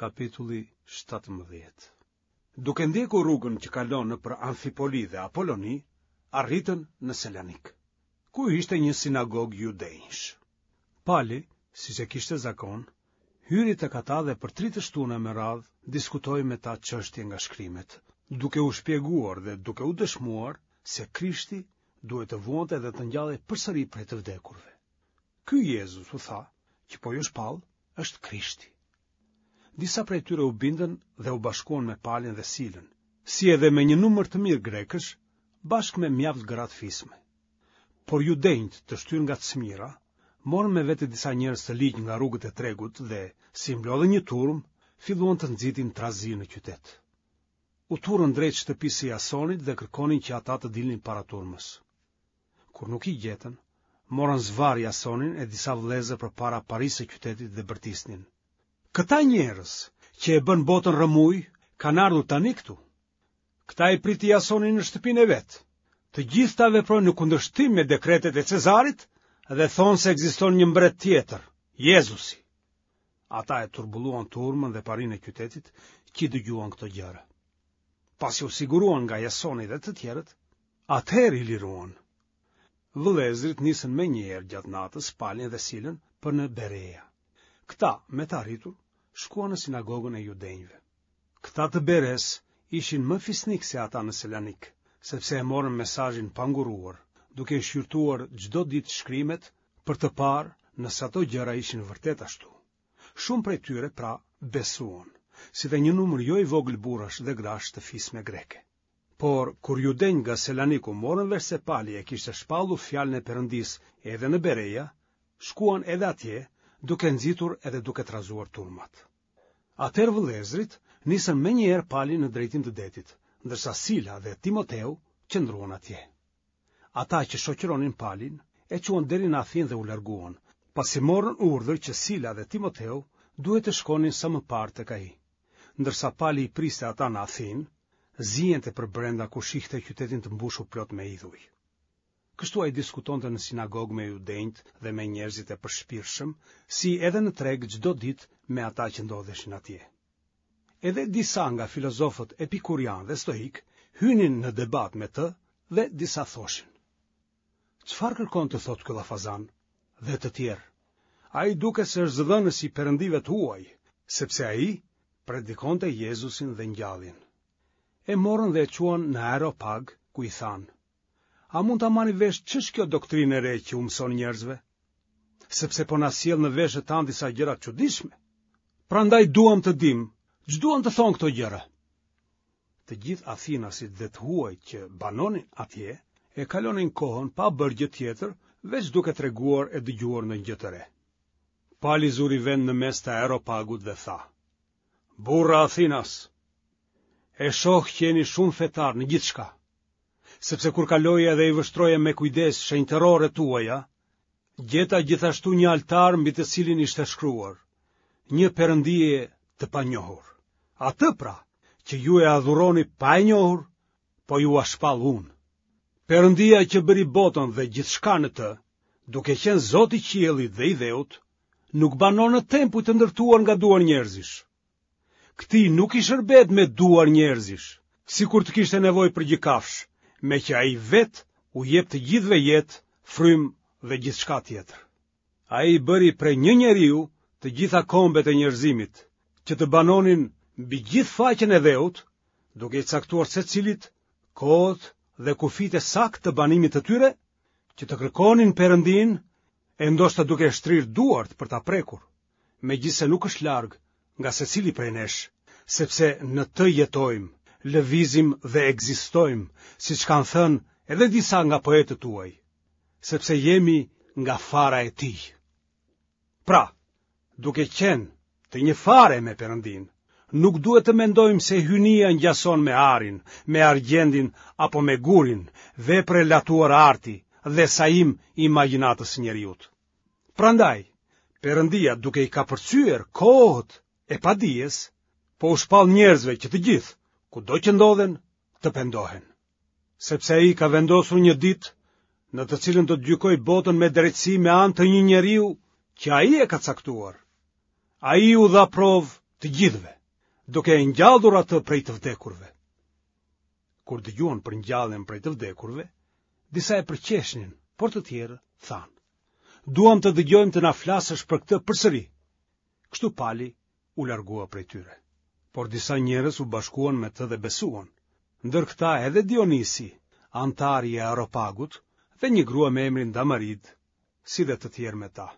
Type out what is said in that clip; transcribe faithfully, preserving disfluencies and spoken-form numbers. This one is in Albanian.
Kapitulli shtatëmbëdhjetë. Duke ndjekur rrugën që kalon nëpër Amfipoli dhe Apoloni, arritën në Selanik, ku ishte një sinagogë judenjsh. Pali, siç e kishte zakon, hyri tek ata dhe për tri të shtuna me radhë diskutoi me ta çështje nga shkrimet, duke u shpjeguar dhe duke u dëshmuar se Krishti duhej të vuante dhe të ngjallej përsëri prej të vdekurve. Ky Jezus, u tha, që po ju shpall, është Krishti. Disa prej tyre u bindën dhe u bashkuan me Palin dhe Silën, si edhe me një numër të mirë grekësh, bashkë me mjaft gra të fisme. Por judenjtë, të shtyrë nga cmira, morën me vete disa njerëz të ligj nga rrugët e tregut dhe, si mblodhën një turmë, filluan të nxitin trazirë në qytet. U turrën drejt shtëpisë së Jasonit dhe kërkonin që ata të dilnin para turmës. Kur nuk i gjetën, morën zvarrë Jasonin e disa vëllezër përpara parisë së qytetit dhe bërtisnin. Këta njerëz që e bënë botën rrëmujë kanë ardhur tani këtu. Këta i priti Jasoni në shtëpinë e vet. Të gjithë këta veprojnë në kundërshtim me dekretet e Cezarit dhe thonë se ekziston një mbret tjetër, Jezusi. Ata e turbulluan turmën dhe parinë e qytetit që i dëgjuan këto gjëra. Pasi u siguruan nga Jasoni dhe të tjerët, atëherë i liruan. Vëllezërit nisën menjëherë gjatë natës Palin dhe Silën për në Berea. Këta, me të arritur, shkuan në sinagogën e judenjve. Këta të Beresë ishin më fisnikë se ata në Selanik, sepse e morën mesazhin pa ngurruar, duke i shqyrtuar çdo ditë shkrimet për të parë nëse ato gjëra ishin vërtet ashtu. Shumë prej tyre, pra, besuan, si dhe një numër jo i vogël burrash dhe grash të fisme greke. Por, kur judenjtë nga Selaniku morën vesh se Pali e kishte shpallur fjalën e Perëndisë edhe në Bereja, shkuan edhe atje, duke nxitur edhe duke trazuar turmat. Atëherë vëllezërit nisën menjëherë Palin në drejtim të detit, ndërsa Sila dhe Timoteu qëndruan atje. Ata që shoqëronin Palin e çuan deri në Athinë dhe u larguan, pasi morën urdhër që Sila dhe Timoteu duhej të shkonin sa më parë tek ai. Ndërsa Pali i priste ata në Athinë, ziente përbrenda kur shihte qytetin të mbushur plot me idhuj. Kështu ai diskutonte në sinagogë me judenjtë dhe me njerëzit e përshpirtshëm, si edhe në treg çdo ditë me ata që ndodheshin atje. Edhe disa nga filozofët epikurianë dhe stoikë hynin në debat me të dhe disa thoshin: Çfarë kërkon të thotë ky llafazan? Dhe të tjerë: Ai duket se është zëdhënës i perëndive të huaj, sepse ai predikonte Jezusin dhe ngjalljen. E morën dhe e çuan në Areopag, ku i thanë: A mund ta marrim vesh ç'është kjo doktrinë e re që u mëson njerëzve? Sepse po na sjell në veshët tanë disa gjëra të çuditshme. Prandaj duam të dimë, ç'duan të thonë këto gjëra. Të gjithë athinasit dhe të huajt që banonin atje e kalonin kohën pa bërë gjë tjetër, veç duke treguar e dëgjuar ndonjë gjë të re. Pali zuri vend në mes të Areopagut dhe tha: Burra athinas, e shoh që jeni shumë fetarë në gjithçka, sepse kur kaloja dhe i vështroja me kujdes shenjtëroret tuaja, gjeta gjithashtu një altar mbi të cilin ishte shkruar, një perëndie të panjohur. Atë pra, që ju e adhuroni pa e njohur, po jua shpall unë. Perëndia që bëri botën dhe gjithçka në të, duke qenë Zoti i qiellit dhe i dheut, nuk banon në tempuj të ndërtuar nga duar njerëzish. Këtij nuk i shërbehet me duar njerëzish, sikur të kishte nevojë për gjë kafshë, meqë ai vetë u jep të gjithëve jetë, frymë dhe gjithçka tjetër. Ai bëri prej një njeriu të gjitha kombet e njerëzimit, që të banonin mbi gjithë faqen e dheut, duke i caktuar secilit kohët dhe kufijtë e saktë të banimit të tyre, që të kërkonin Perëndinë e ndoshta duke shtrirë duart për ta prekur, megjithëse nuk është larg nga secili prej nesh, sepse në të jetojmë, lëvizim dhe ekzistojmë, siç kanë thënë edhe disa nga poetët tuaj, sepse jemi nga fara e tij. Pra, duke qenë të një fare me Perëndinë, nuk duhet të mendojmë se hyjnia ngjason me arin, me argjendin apo me gurin, vepër e latuar arti dhe sajim i imagjinatës së njeriut. Prandaj, Perëndia duke i kapërcyer kohët e padijes, po u shpall njerëzve që të gjithë, kudo që ndodhen, të pendohen. Sepse ai ka vendosur një ditë në të cilën do të gjykojë botën me drejtësi me anë të një njeriu që ai e ka caktuar. Ai u dha provë të të gjithëve, duke e ngjallur atë prej të vdekurve. Kur dëgjuan për ngjalljen prej të vdekurve, disa e përqeshnin, por të tjerë thanë: Duam të dëgjojmë të na flasësh për këtë përsëri. Kështu Pali u largua prej tyre. Por disa njerëz u bashkuan me të dhe besuan, ndër këta edhe Dionisi, anëtar i Areopagut, dhe një grua me emrin Damarid, si dhe të tjerë me ta.